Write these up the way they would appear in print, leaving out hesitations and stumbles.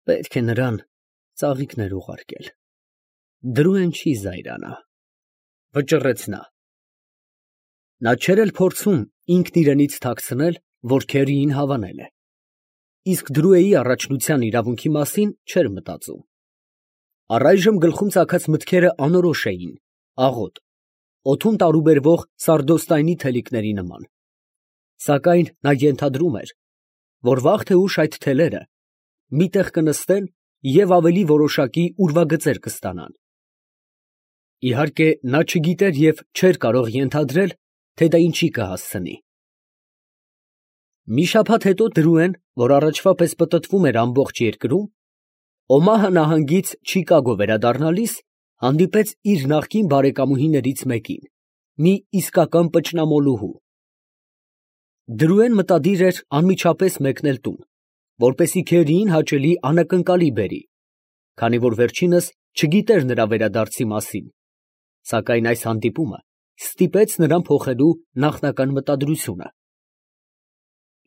Պետք է նրան ծաղիկներ ուղարկել։ Դրուեն չի զայրանա, վճռեց նա։ Նա չէր էլ փորձում ինքն իրենից թաքցնել, որ Քերիին հավանել է, իսկ Դրուեի առաջնության իրավունքի մասին չէր մտածում։ Առայժմ գլխում ծագած մտքերը անորոշ էին, աղոտ, օդում տարուբերվող սարդոստայնի թելիկների նման։ Սակայն նա ենթադրում էր, որ վաղ թե ուշ այդ թելերը մի տեղ կնստեն և ավելի որոշակի ուրվագծեր կստանան։ Իհարկե, նա չգիտեր և չէր կարող ենթադրել, թե դա ինչի կհասցնի։ Մի շաբաթ հետո Դրուեն, որ առաջվա պես պտտվում էր ամբողջ երկրում, Օմահա նահանգից Չիկագո վերադառնալիս, հանդիպեց իր նախկին բարեկամուհիներից մեկին, մի իսկական պճնամոլուհու։ Դրուեն մտադիր էր անմիջապես մեկնել տուն, որպեսզի Քերիին հաճելի անակնկալի բերի, քանի որ վերջինս չգիտեր նրա վերադարձի մասին, սակայն այս հանդիպումը ստիպեց նրան փոխելու նախնական մտադրությունը։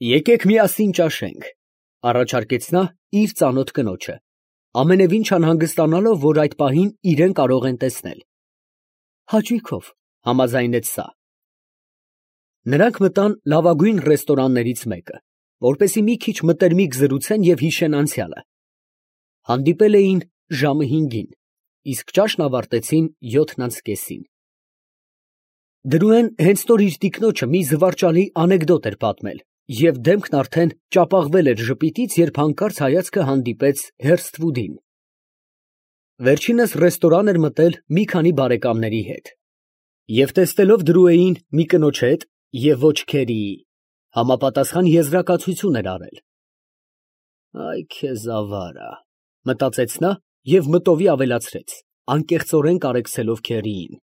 Եկեք միասին ճաշենք, ֊ առաջարկեց նա իր ծանոթ կնոջը, ամենևին չանհանգստանալով, որ այդ պահին իրան կարող են տեսնել։ Հաճույքով, ֊ համաձայնեց սա։ Նրանք մտան լավագույն ռեստորաններից մեկը, որպեսզի մի քիչ մտերմիկ զրուցեն և հիշեն անցյալը։ Հանդիպել էին ժամը 5-ին, իսկ ճաշն ավարտեցին 7:30-ին։ Դրուեն հենց նոր իր տիկնոջը մի զվարճալի անեկդոտ էր պատմել, և դեմքն արդեն ճապաղվել էր ժպիտից, երբ հանկարծ հայացքը հանդիպեց Հերսթվուդին։ Վերջինս ռեստորան էր մտել մի քանի բարեկամների հետ, և տեսնելով Դրուեին մի կնոջ հետ և ոչ Քերիի, համապատասխան եզրակացություն էր արել։ «Այ քեզ ավարա», ֊ մտածեց նա և մտովի ավելացրեց, անկեղծորեն կարեկցելով Քերիին.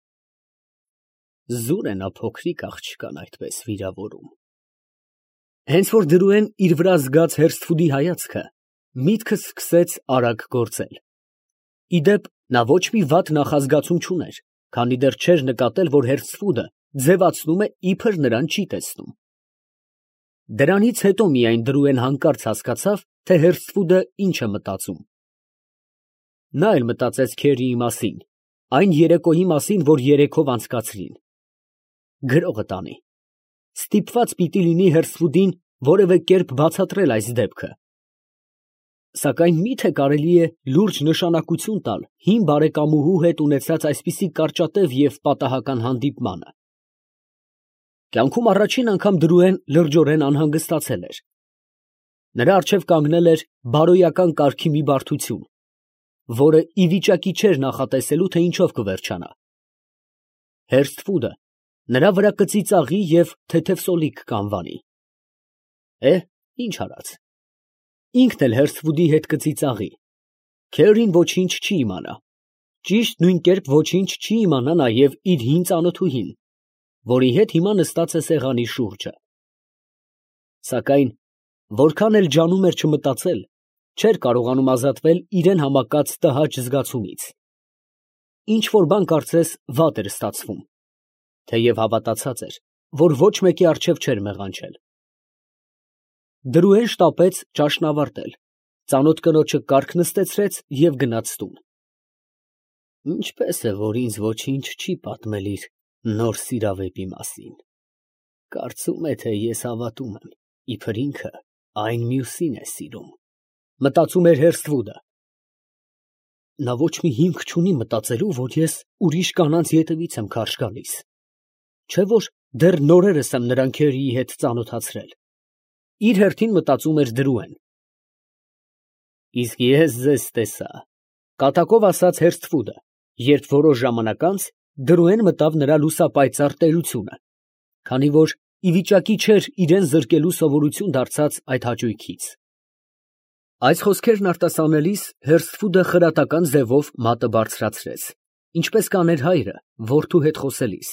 «Զուր է նա փոքրիկ աղջկան այդպես վիրավորում»։ Հենց որ Դրուեն իր վրա զգաց Հերսթվուդի հայացքը, միտքը սկսեց արագ գործել։ Ի դեպ, նա ոչ մի վատ նախազգացում չուներ, քանի դեռ չէր նկատել, որ Հերսթվուդը ձևացնում է, իբր նրան չի տեսնում։ Դրանից հետո միայն Դրուեն հանկարծ հասկացավ, թե Հերսթվուդը ինչ է մտածում։ Նա էլ մտածեց Քերիի մասին, այն երեկոյի մասին, որ երեքով անցկացրին։ Գրողը տանի։ Ստիպված պիտի լինի Հերսթվուդին որևէ կերպ բացատրել այս դեպքը։ Սակայն մի՞թե կարելի է լուրջ նշանակություն տալ հին բարեկամուհու հետ ունեցած այսպիսի կարճատև և պատահական հանդիպմանը։ Կյանքում առաջին անգամ Դրուեն լրջորեն անհանգստացել էր։ Նրա առջև կանգնել էր բարոյական կարգի մի բարդություն, որը ի վիճակի չէր նախատեսելու, թե ինչով կվերջանա։ Հերսթվուդը նրա վրա կծիծաղի և թեթև սոլիկ կանվանի։ Ինչ արած, ինքն էլ Հերսթվուդի հետ կծիծաղի։ Քերին ոչինչ չի իմանա, ճիշտ նույն կերպ ոչինչ չի իմանա նաև իր հին ծանոթուհին, որի հետ հիմա նստած է սեղանի շուրջը։ Սակայն որքան էլ ջանում էր չմտածել, չէր կարողանում ազատվել իրան համակած տհաճ զգացումից։ Ինչ֊որ բան կարծես վատ էր ստացվում, թեև հավատացած էր, որ ոչ մեկի առջև չէր մեղանչել։ Դրուեն շտապեց ճաշն ավարտել, ծանոթ կնոջը կառք նստեցրեց և գնաց տուն։ Ինչպես է, որ ինձ ոչինչ չի պատմել իր նոր սիրավեպի մասին։ Կարծում է, թե ես հավատում եմ, իբր ինքը այն մյուսին է սիրում, ֊ մտածում էր Հերսթվուդը։ Նա ոչ մի հիմք չունի մտածելու, որ ես ուրիշ կանանց ետևից եմ քարշ գալիս, չէ՞ որ դեռ նորերս եմ նրան Քերիի հետ ծանոթացրել։ Իր հերթին մտածում էր Դրուեն։ Իսկ ես ձեզ տեսա, ֊ կատակով ասաց Հերսթվուդը, երբ որոշ ժամանակ անց Դրուեն մտավ նրա լուսապայծառ տերությունը, քանի որ ի վիճակի չէր իրան զրկելու սովորություն դարձած այդ հաճույքից։ Այս խոսքերն արտասանելիս Հերսթվուդը խրատական ձևով մատը բարձրացրեց, ինչպես կաներ հայրը որդու հետ խոսելիս։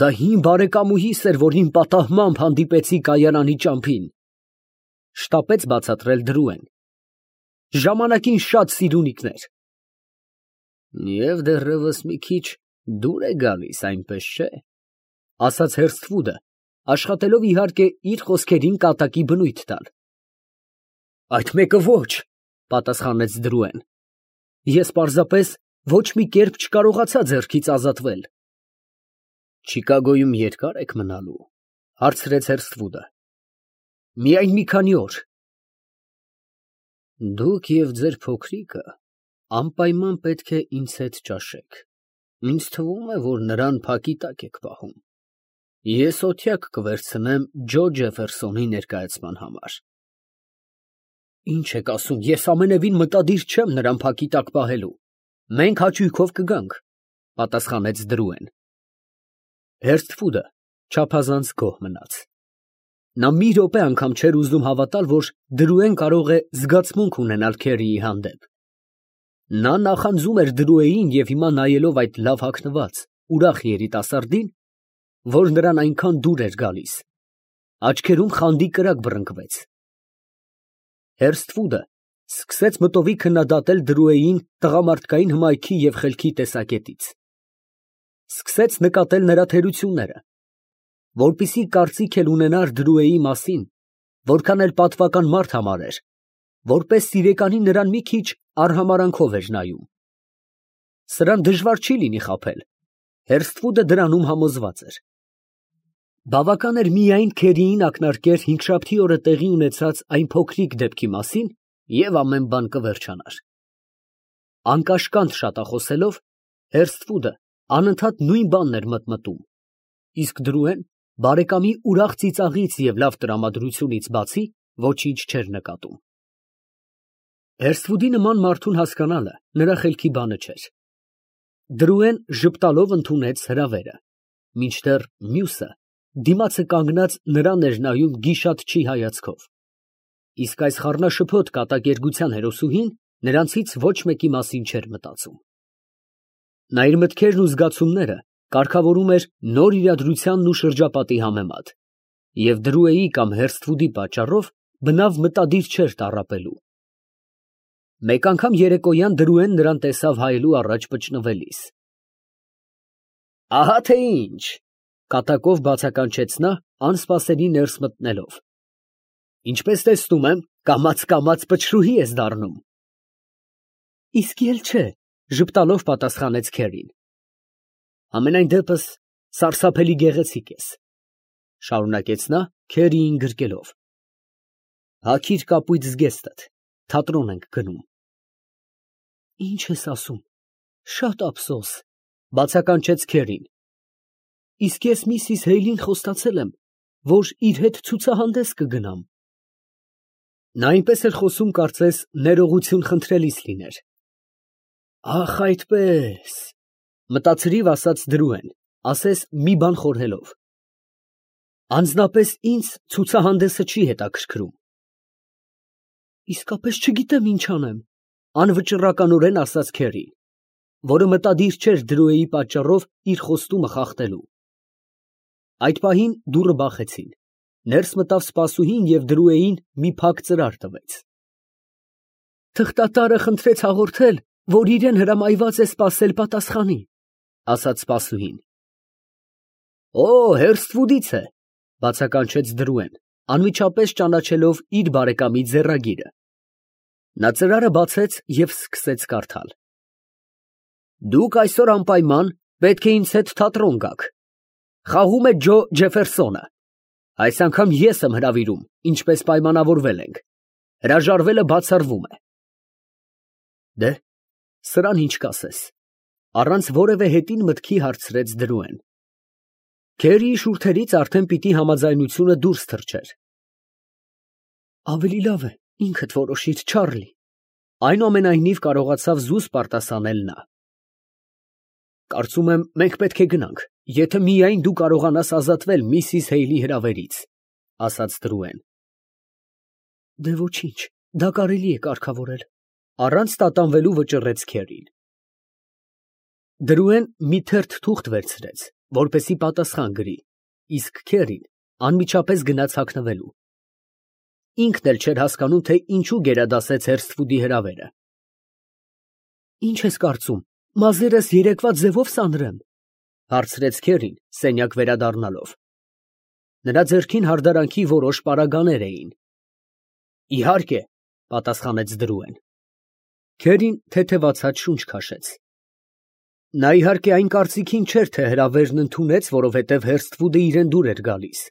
Դա հին բարեկամուհիս էր, որին պատահմամբ հանդիպեցի կայարանի ճամփին, ֊ շտապեց բացատրել Դրուեն։ Ժամանակին շատ սիրունիկներ։ Եվ դեռևս մի քիչ դուր է գալիս, այնպես չէ, ֊ ասաց Հերսթվուդը, աշխատելով իհարկե իր խոսքերին կատակի բնույթ տալ։ Այդ մեկը ոչ, պատասխանեց Դրուեն։ Ես պարզապես ոչ մի կերպ չկարողացա ձեռքից ազատվել։ Չիկագոյում երկա՞ր եք մնալու, հարցրեց Հերսթվուդը։ Միայն մի քանի օր։ Դուք և ձեր փոքրիկը անպայման պետք է ինձ հետ ճաշեք։ Ինձ թվում է, որ նրան փակի տակ եք պահում։ Ես օթյակ կվերցնեմ Ջո Ջեֆերսոնի ներկայացման համար։ Ինչ եք ասում, ես ամենևին մտադիր չեմ նրան փակի տակ պահելու։ Մենք հաճույքով կգանք, պատասխանեց Դրուեն։ Հերսթվուդը չափազանց գոհ մնաց։ Նա մի րոպե անգամ չէր ուզում հավատալ, որ Դրուեն կարող է զգացմունք ունենալ Քերիի հանդեպ։ Նա նախանձում էր Դրուեին և հիմա նայելով այդ լավ հագնված, ուրախ երիտասարդին, որ նրան այնքան դուր էր գալիս, աչքերում խանդի կրակ բռնկվեց։ Հերսթվուդը սկսեց մտովի քննադատել Դրուեին տղամարդկային հմայքի և խելքի տեսակետից։ Սկսեց նկատել նրա թերությունները, որպեսզի կարծիք էլ ունենար Դրուեի մասին, որքան էլ պատվական մարդ համարեր, որպես սիրեկանի նրան մի քիչ արհամարանքով էր նայում։ Սրան դժվար չի լինի խաբել, Հերսթվուդը դրանում համոզված էր։ Բավական էր միայն Քերիին ակնարկեր հինգշաբթի օրը տեղի ունեցած այն փոքրիկ դեպքի մասին, և ամեն բան կվերջանար։ Անկաշկանդ շատախոսելով, Հերսթվուդը անընդհատ նույն բանն էր մտմտում, իսկ Դրուեն բարեկամի ուրախ ծիծաղից և լավ տրամադրությունից բացի ոչինչ չէր նկատում։ Հերսթվուդի նման մարդուն հասկանալը նրա խելքի բանը չէր։ Դրուեն ժպտալով ընդունեց հրավերը, մինչդեռ մյուսը դիմացը կանգնած նրան էր նայում գիշատչի հայացքով, իսկ այս խառնաշփոթ կատակերգության հերոսուհին նրանցից ոչ մեկի մասին չէր մտածում։ Նա իր մտքերն ու զգացումները կարգավորում էր նոր իրադրությանն ու շրջապատի համեմատ, և Դրուեի կամ Հերսթվուդի պատճառով բնավ մտադիր չէր տառապելու։ Մեկ անգամ երեկոյան Դրուեն նրան տեսավ հայելու առաջ պճնվելիս։ Ահա թե ինչ, կատակով բացականչեց նա, անսպասելի ներս մտնելով։ Ինչպես տեսնում եմ, կամաց պչրուհի ես դառնում։ Իսկ էլ չէ, ժպտալով պատասխանեց Քերին։ Համենայն դեպս սարսափելի գեղեցիկ ես, շարունակեց նա Քերիին գրկելով։ Հագիր կապույտ զգեստդ, թատրոն ենք գնում։ Ինչ ես ասում, շատ ափսոս, բացականչեց Քերին։ Իսկ ես Միսիս Հեյլին խոստացել եմ, որ իր հետ ցուցահանդես կգնամ։ Նա այնպես էր խոսում, կարծես ներողություն խնդրելիս լիներ։ Ախ, այդպես, մտածրիվ ասաց Դրուեն, ասես մի բան խորհելով։ Անձնապես ինձ ցուցահանդեսը չի հետաքրքրում։ Իսկապես չգիտեմ ինչ անեմ, անվճռականորեն ասաց Քերին, որը մտադիր չէր Դրուեի պատճառով իր խոստումը խախտելու։ Այդ պահին դուռը բախեցին, ներս մտավ սպասուհին և Դրուեին մի փակ ծրար տվեց։ Թղթատարը խնդրեց հաղորդել, որ իրեն հրամայված է սպասել պատասխանի, ասաց սպասուհին։ Օ, Հերսթվուդից է, բացականչեց Դրուեն, անմիջապես ճանաչելով իր բարեկամի ձեռագիրը։ Նա ծրարը բացեց և սկսեց կարդալ։ Դուք այսօր անպայման պետք է ինձ հետ թատրոն գաք։ Խաղում է Ջո Ջեֆերսոնը։ Այս անգամ ես եմ հրավիրում, ինչպես պայմանավորվել ենք։ Հրաժարվելը բացառվում է։ Դե, սրան ինչ կասես, առանց որևէ հետին մտքի հարցրեց Դրուեն։ Քերիի շուրթերից արդեն պիտի համաձայնությունը դուրս թռչեր։ Ավելի լավ է, ինքդ որոշիր, Չարլի, այնուամենայնիվ կարողացավ զուսպ արտասանել նա։ Կարծում եմ, մենք պետք է գնանք, եթե միայն դու կարողանաս ազատվել Միսիս Հեյլի հրավերից, ասաց Դրուեն։ Դե ոչինչ, դա կարելի է կարգավորել, առանց տատանվելու վճռեց Քերին։ Դրուեն մի թերթ թուղթ վերցրեց, որպեսզի պատասխան գրի, իսկ Քերին անմիջապես գնաց հագնվելու։ Ինքն էլ չէր հասկանում, թե ինչու գերադասեց Հերսթվուդի հրավերը։ Ինչ ես կարծում, մազերս երեկվա ձևով սանրեմ, հարցրեց Քերին, սենյակ վերադառնալով։ Նրա ձեռքին հարդարանքի որոշ պարագաներ էին։ Իհարկե, պատասխանեց Դրուեն։ Քերին թեթևացած շունչ քաշեց։ Նա իհարկե այն կարծիքին չէր, թե հրավերն ընդունեց, որովհետև Հերսթվուդը իրեն դուր էր գալիս։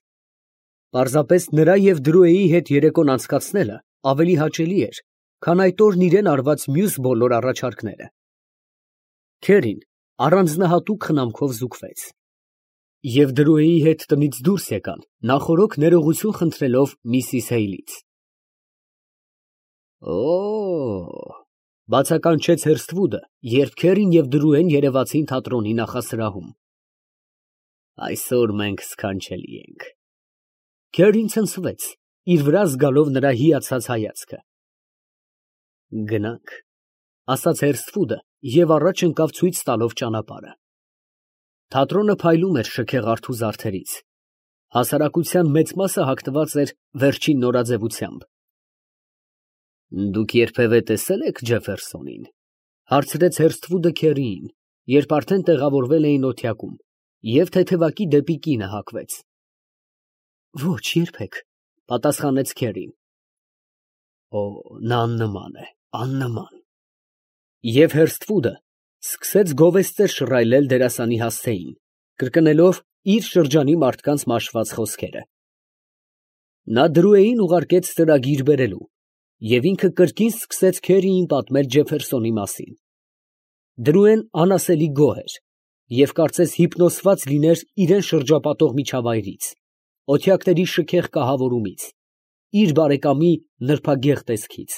Պարզապես նրա և Դրուեի հետ երեկոն անցկացնելը ավելի հաճելի էր, քան այդ օրն իրեն արված մյուս բոլոր առաջարկները։ Քերին առանձնահատուկ խնամքով զուգվեց։ Եվ Դրուեի հետ տնից դուրս եկան, նախօրոք ներողություն խնդրելով միսիս Հեյլից։ Օ՜օ, բացականչեց Հերսթվուդը, երբ Քերին և Դրուեն երևացին թատրոնի նախասրահում։ Այսօր մենք սքանչելի ենք։ Քերին ցնցվեց, իր վրա զգալով նրա հիացած հայացքը։ Գնանք, ասաց Հերսթվուդը և առաջ ընկավ ցույց տալով ճանապարհը։ Թատրոնը փայլում էր շքեղարդու զարդերից։ Հասարակության մեծ մասը հագնված էր վերջին նորաձևությամբ։ Դուք երբևէ տեսե՞լ եք Ջեֆերսոնին, հարցրեց Հերսթվուդը Քերիին, երբ արդեն տեղավորվել էին օթյակում, և թեթևակի դեպի կինը հակվեց։ Ոչ, երբեք, պատասխանեց Քերին։ Օ, նա աննման է, աննման։ Եվ Հերսթվուդը սկսեց գովեստներ շռայլել դերասանի հասցեին, կրկնելով իր շրջանի մարդկանց մաշված խոսքերը։ Նա Դրուեին ուղարկեց ծրագիր բերելու, և ինքը կրկին սկսեց Քերիին պատմել Ջեֆերսոնի մասին։ Դրուեն անասելի գոհ էր և կարծես հիպնոսված լիներ իրան շրջապատող միջավայրից, օթյակների շքեղ կահավորումից, իր բարեկամի նրբագեղ տեսքից։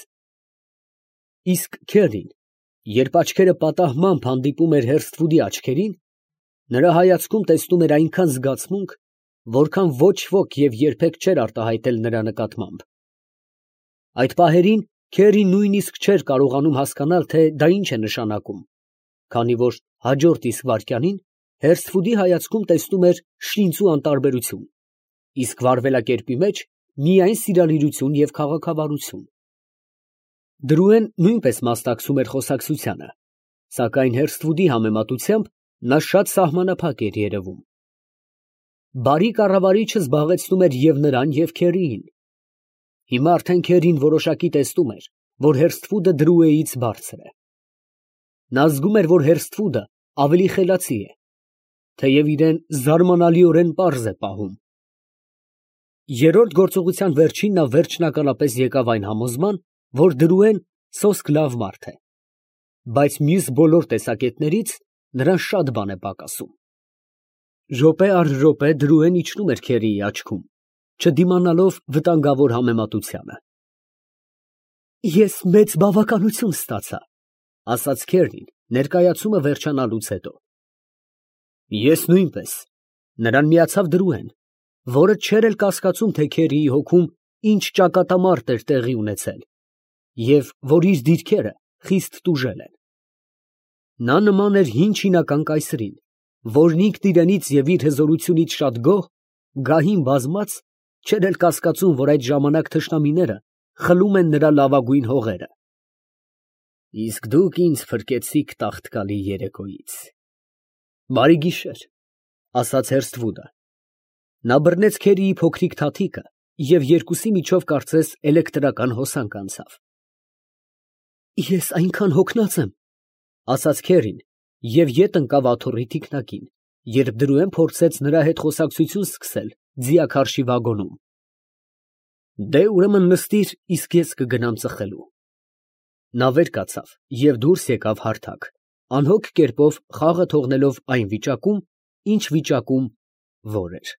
Իսկ Քերին, երբ աչքերը պատահմամբ հանդիպում էր Հերսթվուդի աչքերին, նրա հայացքում տեսնում էր այնքան զգացմունք, որքան ոչ ոք և երբեք չէր արտահայտել նրա նկատմամբ։ Այդ պահերին Քերին նույնիսկ չէր կարողանում հասկանալ, թե դա ինչ է նշանակում, քանի որ հաջորդ իսկ վայրկյանին Հերսթվուդի հայացքում տեսնում էր շինծու անտարբերություն, իսկ վարվելակերպի մեջ միայն սիրալիրություն և քաղաքավարություն։ Դրուեն նույնպես մասնակցում էր խոսակցությանը, սակայն Հերսթվուդի համեմատությամբ նա շատ սահմանափակ էր երևում։ Բարի կառավարիչը զբաղեցնում էր և նրան, և Քերիին։ Հիմա արդեն Քերին որոշակի տեսնում էր, որ Հերսթվուդը Դրուեից բարձր է։ Նա զգում էր, որ Հերսթվուդը ավելի խելացի է, թեև իրեն զարմանալիորեն պարզ է պահում։ Երրորդ գործողության վերջին նա վերջնականապես եկավ այն համոզման, որ Դրուեն սոսկ լավ մարդ է, բայց մյուս բոլոր տեսակետներից նրան շատ բան է պակասում։ Րոպե առ րոպե Դրուեն իջնում էր Քերիի աչքում, չդիմանալով վտանգավոր համեմատությանը։ Ես մեծ բավականություն ստացա, ասաց Քերին, ներկայացումը վերջանալուց հետո։ Ես նույնպես, նրան միացավ Դրուեն, որը չէր էլ կասկածում, թե Քերիի հոգում ինչ ճակատամարտ էր տեղի ունեցել, և որ իր դիրքերը խիստ տուժել են։ Նա նման էր հին չինական կայսրին, որն ինքն իրենից և իր հզորությունից շատ գոհ, գահին բազմած, չէր էլ կասկածում, որ այդ ժամանակ թշնամիները խլում են նրա լավագույն հողերը։ Իսկ դուք ինձ փրկեցիք տաղտկալի երեկոյից։ Բարի գիշեր, ասաց Հերսթվուդը։ Նա բռնեց Քերիի փոքրիկ թաթիկը և երկուսի միջով կարծես էլեկտրական հոսանք անցավ։ Ես այնքան հոգնած եմ, ասաց Քերին և ետ ընկավ աթոռի թիկնակին, երբ Դրուեն փորձեց նրա հետ խոսակցություն սկսել ձիաքարշի վագոնում։ Դե, ուրեմն նստիր, իսկ ես կգնամ ծխելու։ Նա վեր կացավ և դուրս եկավ հարթակ, անհոգ կերպով խաղը թողնելով այն վիճակում, ինչ վիճակում որ էր։